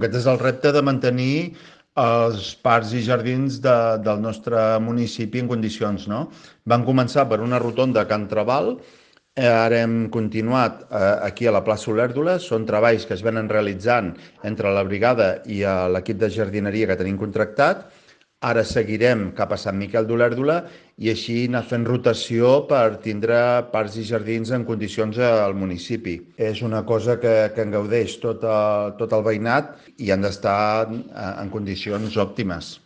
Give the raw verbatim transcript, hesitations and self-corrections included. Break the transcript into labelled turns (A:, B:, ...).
A: Aquest és el repte de mantenir els parcs i jardins de, del nostre municipi en condicions, no? Van començar per una rotonda a Can Trabal, eh, ara hem continuat eh, aquí a la plaça Olèrdola, són treballs que es venen realitzant entre la brigada i eh, l'equip de jardineria que tenim contractat. Ara seguirem cap a Sant Miquel d'Olèrdola i així anar fent rotació per tindre parcs i jardins en condicions al municipi. És una cosa que, que en gaudeix tot, el, tot el veïnat i han d'estar en condicions òptimes.